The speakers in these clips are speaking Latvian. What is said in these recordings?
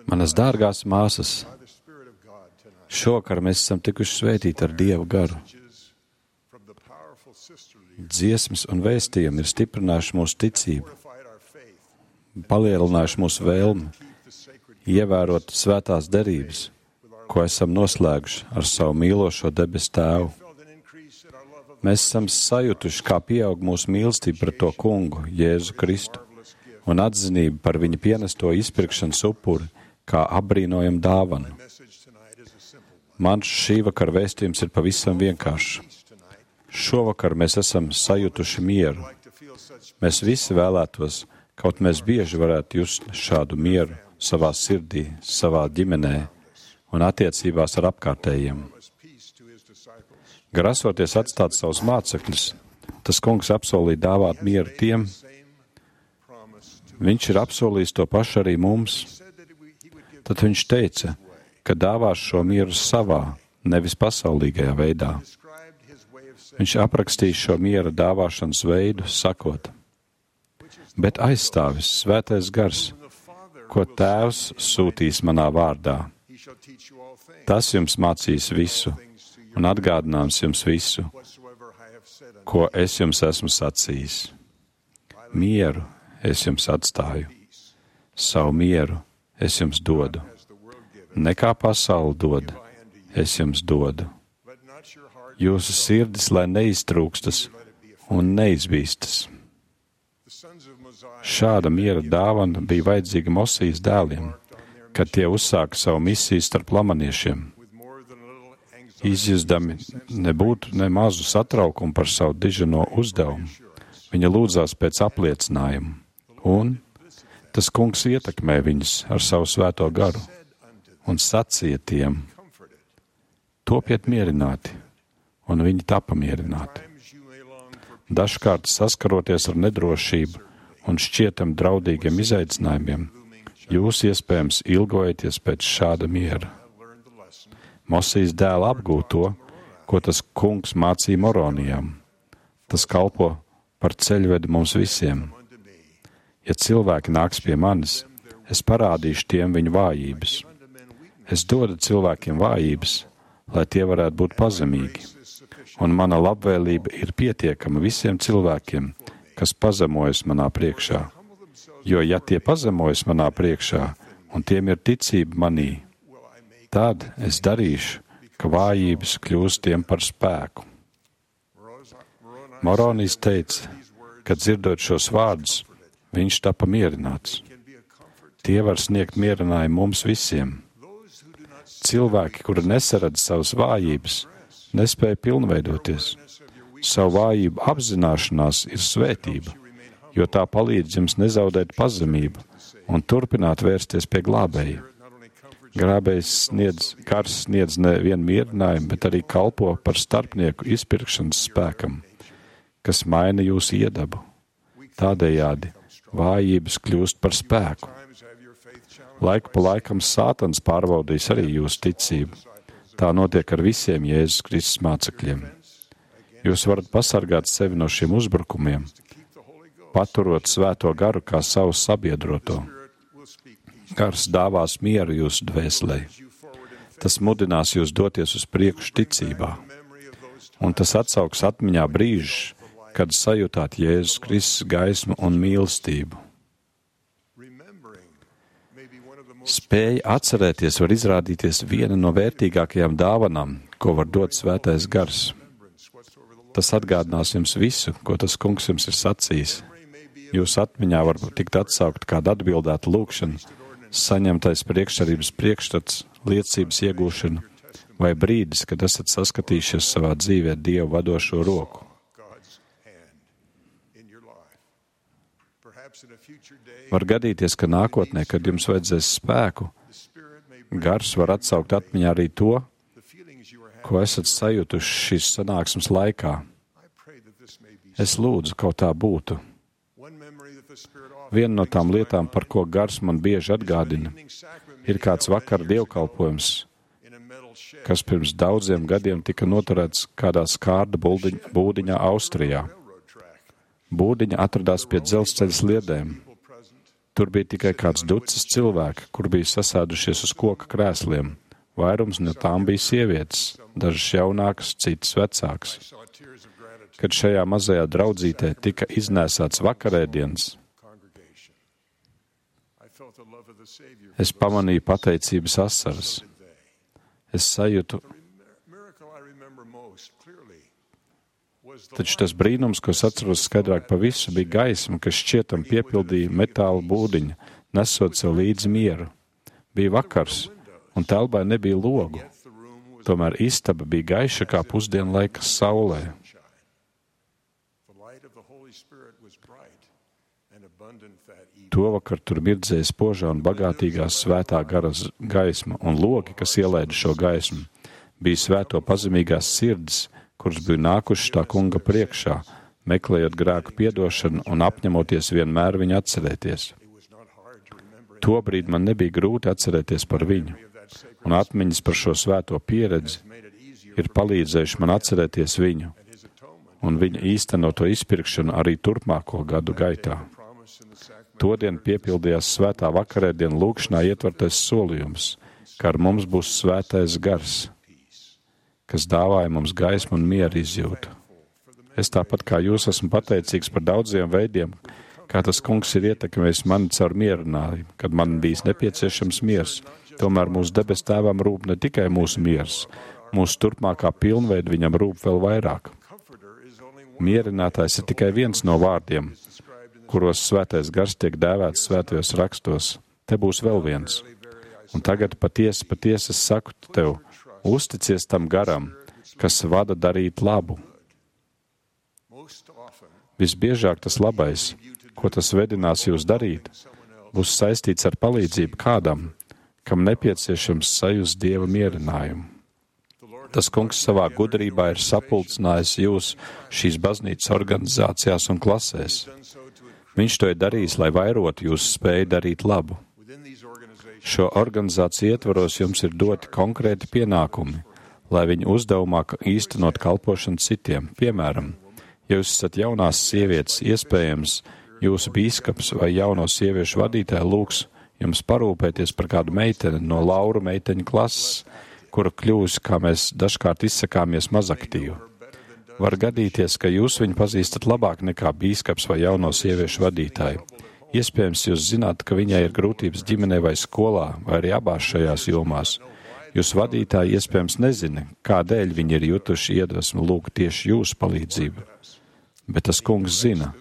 Manas dārgās māsas, šovakar mēs esam tikuši svētīti ar Dieva garu. Dziesmas un vēstījumi ir stiprinājuši mūsu ticību, palielinājuši mūsu vēlmi, ievērot svētās derības, ko esam noslēguši ar savu mīlošo debesu Tēvu. Mēs esam sajutuši, kā pieaug mūsu mīlestība pret to Kungu, Jēzu Kristu, un atzinību par viņa pienesto izpirkšanas upuri, kā apbrīnojamu dāvanu. Mans šī vakara vēstījums ir pavisam vienkāršs. Šovakar mēs esam sajutuši mieru. Mēs visi vēlētos, kaut mēs bieži varētu just šādu mieru savā sirdī, savā ģimenē un attiecībās ar apkārtējiem. Grasoties atstāt savus mācekļus, tas Kungs apsolīja dāvāt mieru tiem. Viņš ir apsolījis to pašu arī mums. Tad viņš teica, ka dāvās šo mieru savā, nevis pasaulīgajā veidā. Viņš aprakstīs šo miera dāvāšanas veidu, sakot, bet aizstāvis Svētais Gars, ko Tēvs sūtīs manā vārdā. Tas jums mācīs visu un atgādinās jums visu, ko es jums esmu sacījis. Mieru es jums atstāju, savu mieru es jums dodu. Nekā pasaule dod, es jums dodu. Jūsu sirdis, lai neiztrūkstas un neizbīstas. Šāda miera dāvana bija vajadzīga Mosijas dēliem, kad tie uzsāka savu misiju starp lamaniešiem. Izjustami nebūtu ne mazu satraukumu par savu diženo uzdevumu. Viņa lūdzās pēc apliecinājuma, un tas Kungs ietekmē viņus ar savu svēto garu un sacīja tiem, topiet mierināti, un viņi tapa mierināti. Dažkārt saskaroties ar nedrošību un šķietam draudīgiem izaicinājumiem, jūs iespējams ilgojaties pēc šāda miera. Mosijas dēla apgūt to, ko tas Kungs mācīja Moronijam. Tas kalpo par ceļvedi mums visiem. Ja cilvēki nāks pie manis, es parādīšu tiem viņu vājības. Es dodu cilvēkiem vājības, lai tie varētu būt pazemīgi. Un mana labvēlība ir pietiekama visiem cilvēkiem, kas pazemojas manā priekšā. Jo, ja tie pazemojas manā priekšā, un tiem ir ticība manī, tad es darīšu, ka vājības kļūs tiem par spēku. Moronijs teica, ka dzirdot šos vārdus, viņš tapa mierināts. Tie var sniegt mierinājumu mums visiem. Cilvēki, kuri nesaredz savas vājības, nespēja pilnveidoties. Savu vājību apzināšanās ir svētība, jo tā palīdz jums nezaudēt pazemību un turpināt vērsties pie glābēja. Gars sniedz nevienu mierinājumu, bet arī kalpo par starpnieku izpirkšanas spēkam, kas maina jūsu iedabu. Tādējādi vājības kļūst par spēku. Laiku pa laikam Sātans pārbaudīs arī jūsu ticību. Tā notiek ar visiem Jēzus Kristus mācekļiem. Jūs varat pasargāt sevi no šiem uzbrukumiem, paturot svēto garu kā savu sabiedroto. Gars dāvās mieru jūsu dvēselē. Tas mudinās jūs doties uz priekšu ticībā. Un tas atsauks atmiņā brīžus, kad sajūtāt Jēzus Kristus gaismu un mīlestību. Spēja atcerēties var izrādīties viena no vērtīgākajām dāvanām, ko var dot Svētais Gars. Tas atgādinās jums visu, ko tas Kungs jums ir sacījis. Jūsu atmiņā var tikt atsaukt kāda atbildēta lūkšana, saņemtais priekšsarības priekšstats, liecības iegūšana vai brīdis, kad esat saskatījušies savā dzīvē Dievu vadošo roku. Var gadīties, ka nākotnē, kad jums vajadzēs spēku, Gars var atsaukt atmiņā arī to, ko esat sajutuši šīs sanāksmes laikā. Es lūdzu, kaut tā būtu. Viena no tām lietām, par ko Gars man bieži atgādina, ir kāds vakara dievkalpojums, kas pirms daudziem gadiem tika noturēts kādā skārda būdiņā Austrijā. Būdiņa atradās pie dzelzceļa sliedēm. Tur bija tikai kāds ducis cilvēki, kur bija sasēdušies uz koka krēsliem. Vairums no tām bija sievietes, dažas jaunākas, citas vecākas. Kad šajā mazajā draudzītē tika iznēsāts vakarēdienas, es pamanīju pateicības asaras. Es sajūtu, taču tas brīnums, ko es atceros skaidrāk pa visu, bija gaisma, kas šķietam piepildīja metāla būdiņa, nesot sev līdzi mieru. Bija vakars, un telpai nebija logu. Tomēr istaba bija gaiša kā pusdienlaika saulē. Tovakar tur mirdzēja spožā un bagātīgā svētā gara gaisma, un logi, kas ielaida šo gaismu, bija svēto pazemīgās sirds, kuras bija nākušas tā kunga priekšā, meklējot grēku piedošanu un apņemoties vienmēr viņu atcerēties. Tobrīd man nebija grūti atcerēties par viņu, un atmiņas par šo svēto pieredzi ir palīdzējuši man atcerēties viņu un viņa īstenoto izpirkšanu arī turpmāko gadu gaitā. Todien piepildījās svētā vakarēdiena lūkšanā ietvertais solījums, ka ar mums būs svētais gars, kas dāvāja mums gaismu un mieru izjūtu. Es tāpat kā jūs esmu pateicīgs par daudziem veidiem, kā tas kungs ir ietekmējis mani caur mierinājumu, kad man bijis nepieciešams miers. Tomēr mūsu debes tēvam rūp ne tikai mūsu miers, mūsu turpmākā pilnveida viņam rūp vēl vairāk. Mierinātājs ir tikai viens no vārdiem, kuros svētais gars tiek dēvēts svētajos rakstos. Te būs vēl viens. Un tagad patiesi es saku tev, uzticies tam garam, kas vada darīt labu. Visbiežāk tas labais, ko tas vedinās jūs darīt, būs saistīts ar palīdzību kādam, kam nepieciešams sajust Dieva mierinājumu. Tas kungs savā gudrībā ir sapulcinājis jūs šīs baznīcas organizācijās un klasēs. Viņš to ir darījis, lai vairotu jūsu spēju darīt labu. Šo organizāciju ietvaros jums ir doti konkrēti pienākumi, lai viņi uzdevumā īstenot kalpošanu citiem. Piemēram, ja jūs esat jaunās sievietes, iespējams, jūsu bīskaps vai jauno sieviešu vadītāja lūgs jums parūpēties par kādu meiteni no Lauru meiteņu klases, kura kļūs, kā mēs dažkārt izsakāmies, mazaktīvu. Var gadīties, ka jūs viņu pazīstat labāk nekā bīskaps vai jauno sieviešu vadītāju. Iespējams, jūs zināt, ka viņai ir grūtības ģimenē vai skolā, vai arī abās šajās jomās. Jūs vadītāji iespējams nezina, kādēļ viņi ir jutuši iedvesmu lūgt tieši jūsu palīdzību. Bet tas kungs zina,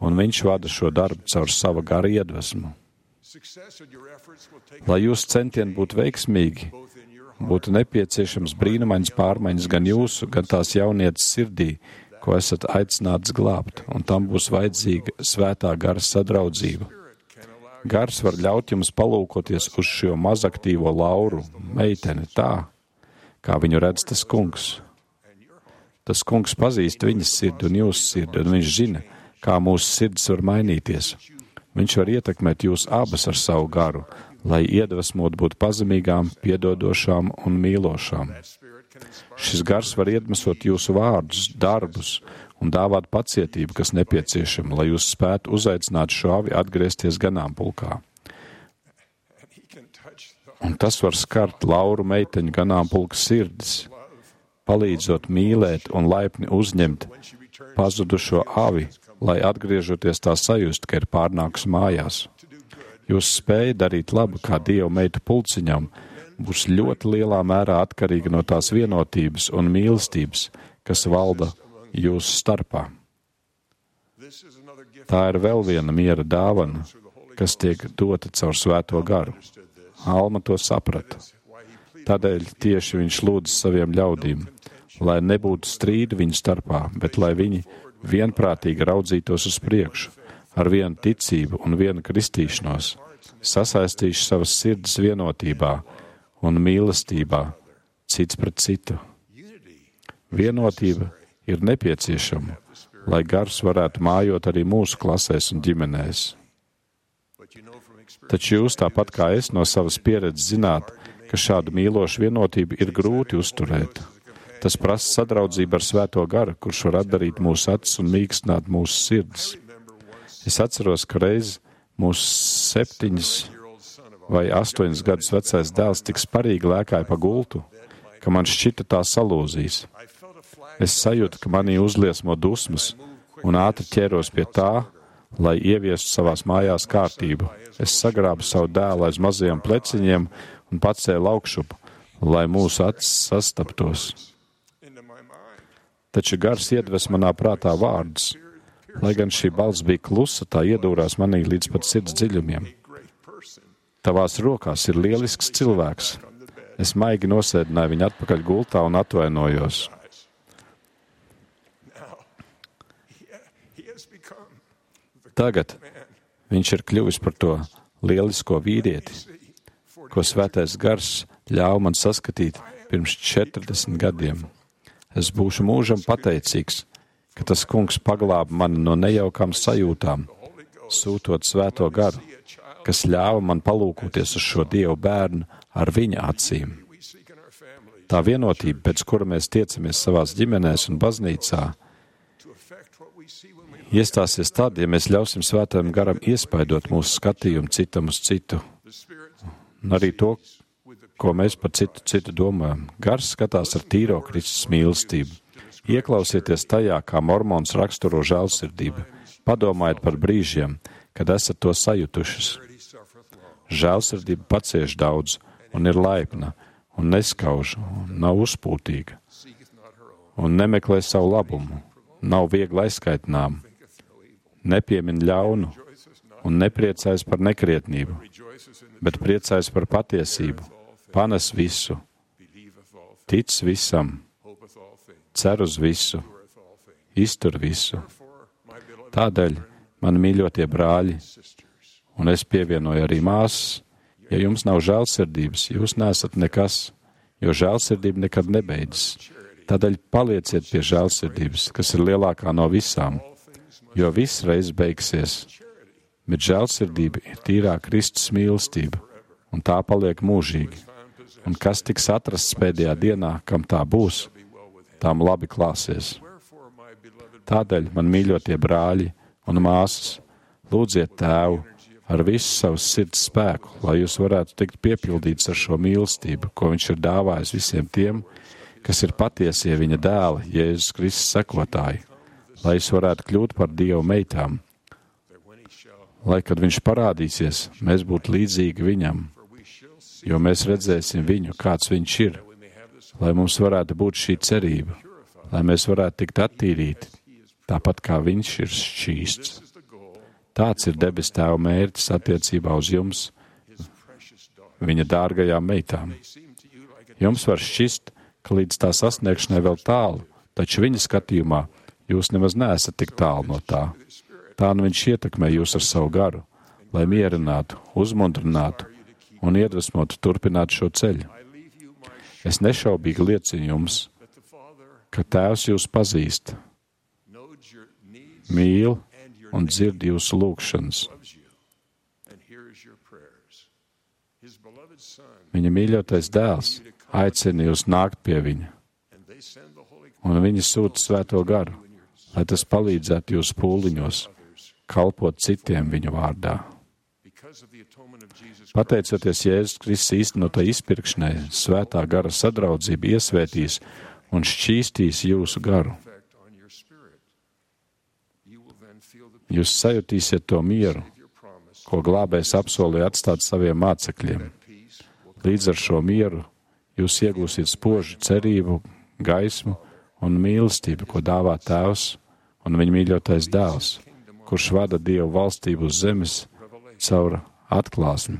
un viņš vada šo darbu caur sava gara iedvesmu. Lai jūsu centieni būtu veiksmīgi, būtu nepieciešams brīnumains pārmaiņas gan jūsu, gan tās jaunietes sirdī, ko esat aicināts glābt, un tam būs vajadzīga svētā gara sadraudzība. Gars var ļaut jums palūkoties uz šo mazaktīvo Lauru, meiteni tā, kā viņu redz tas kungs. Tas kungs pazīst viņas sirdi un jūsu sirdi, un viņš zina, kā mūsu sirds var mainīties. Viņš var ietekmēt jūs abas ar savu garu, lai iedvesmot būt pazemīgām, piedodošām un mīlošām. Šis gars var iedvesmot jūsu vārdus, darbus un dāvāt pacietību, kas nepieciešama, lai jūs spētu uzaicināt šo avi atgriezties ganāmpulkā. Un tas var skart Lauru meiteņu ganāmpulka sirdis, palīdzot mīlēt un laipni uzņemt pazudušo avi, lai atgriežoties tā sajust, ka ir pārnākus mājās. Jūsu spēja darīt labu kā Dieva meitu pulciņam būs ļoti lielā mērā atkarīga no tās vienotības un mīlestības, kas valda jūsu starpā. Tā ir vēl viena miera dāvana, kas tiek dota caur svēto garu. Alma to saprata. Tādēļ tieši viņš lūdz saviem ļaudīm, lai nebūtu strīdi viņu starpā, bet lai viņi vienprātīgi raudzītos uz priekšu, ar vienu ticību un vienu kristīšanos, sasaistīšu savas sirds vienotībā un mīlestībā cits pret citu. Vienotība ir nepieciešama, lai gars varētu mājot arī mūsu klasēs un ģimenēs. Taču jūs, tāpat kā es, no savas pieredzes zināt, ka šādu mīlošu vienotību ir grūti uzturēt. Tas prasa sadraudzību ar svēto garu, kurš var atdarīt mūsu acis un mīkstināt mūsu sirds. Es atceros, ka reiz Mūsu 7 vai 8 gadus vecais dēls tik sparīgi lēkāja pa gultu, ka man šķita tā salūzīs. Es sajūtu, ka manī uzliesmo dusmas un ātri ķēros pie tā, lai ieviestu savās mājās kārtību. Es sagrābu savu dēlu aiz mazajiem pleciņiem un pacēlu augšup, lai mūsu acis sastaptos. Taču gars iedves manā prātā vārdus. Lai gan šī balss bija klusa, tā iedūrās manī līdz pat sirds dziļumiem. Tavās rokās ir lielisks cilvēks. Es maigi nosēdināju viņu atpakaļ gultā un atvainojos. Tagad viņš ir kļuvis par to lielisko vīrieti, ko Svētais Gars ļāva man saskatīt pirms 40 gadiem. Es būšu mūžam pateicīgs, ka tas kungs paglāba mani no nejaukām sajūtām, sūtot Svēto Garu, kas ļāva man palūkoties uz šo Dievu bērnu ar viņa acīm. Tā vienotība, pēc kura mēs tiecamies savās ģimenēs un baznīcā, iestāsies tad, ja mēs ļausim Svētajam Garam iespaidot mūsu skatījumu citam uz citu. Un arī to, ko mēs par citu domājam. Gars skatās ar tīro Kristus mīlestību. Ieklausieties tajā, kā mormons raksturo žēlsirdību. Padomājiet par brīžiem, kad esat to sajutušas. Žēlsirdība pacieš daudz un ir laipna un neskauž un nav uzpūtīga un nemeklē savu labumu, nav viegli aizskaitnām, nepiemin ļaunu un nepriecājas par nekrietnību, bet priecājas par patiesību, panes visu, tic visam, cer uz visu, iztur visu. Tādēļ, mani mīļotie brāļi, un es pievienoju arī māsas, ja jums nav žēlsirdības, jūs neesat nekas, jo žēlsirdība nekad nebeidzas. Tādēļ palieciet pie žēlsirdības, kas ir lielākā no visām, jo viss reiz beigsies. Bet žēlsirdība ir tīrā Kristus mīlestība, un tā paliek mūžīgi. Un kas tiks atrasts pēdējā dienā, kam tā būs, tām labi klāsies. Tādēļ, man mīļotie brāļi un māsas, lūdziet Tēvu ar visu savas sirds spēku, lai jūs varētu tikt piepildīts ar šo mīlestību, ko viņš ir dāvājis visiem tiem, kas ir patiesie viņa dēla, Jēzus Kristus sekotāji, lai jūs varētu kļūt par Dieva meitām, lai, kad viņš parādīsies, mēs būtu līdzīgi viņam, jo mēs redzēsim viņu, kāds viņš ir, lai mums varētu būt šī cerība, lai mēs varētu tikt attīrīti, tāpat kā viņš ir šķīsts. Tāds ir debes Tēva mērķis attiecībā uz jums, viņa dārgajām meitām. Jums var šķist, ka līdz tā sasniegšanai vēl tālu, taču viņa skatījumā jūs nemaz neesat tik tālu no tā. Tā nu viņš ietekmē jūs ar savu garu, lai mierinātu, uzmundrinātu un iedvesmotu turpināt šo ceļu. Es nešaubīgi liecinu jums, ka Tēvs jūs pazīst, mīl un dzird jūsu lūgšanas. Viņa mīļotais dēls aicina jūs nākt pie viņa, un viņa sūta Svēto Garu, lai tas palīdzētu jūsu pūliņos, kalpot citiem viņa vārdā. Pateicoties Jēzus Kristus īstenotai izpirkšanai, Svētā Gara sadraudzība iesvētīs un šķīstīs jūsu garu. Jūs sajutīsiet to mieru, ko glābējs apsolīja atstāt saviem mācekļiem. Līdz ar šo mieru jūs iegūsiet spožu cerību, gaismu un mīlestību, ko dāvā Tēvs un viņa mīļotais dēls, kurš vada Dievu valstību uz zemes caur atklāsmi,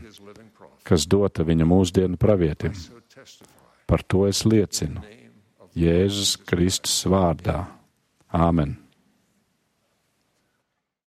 kas dota viņa mūsdienu pravietim. Par to es liecinu Jēzus Kristus vārdā. Āmen.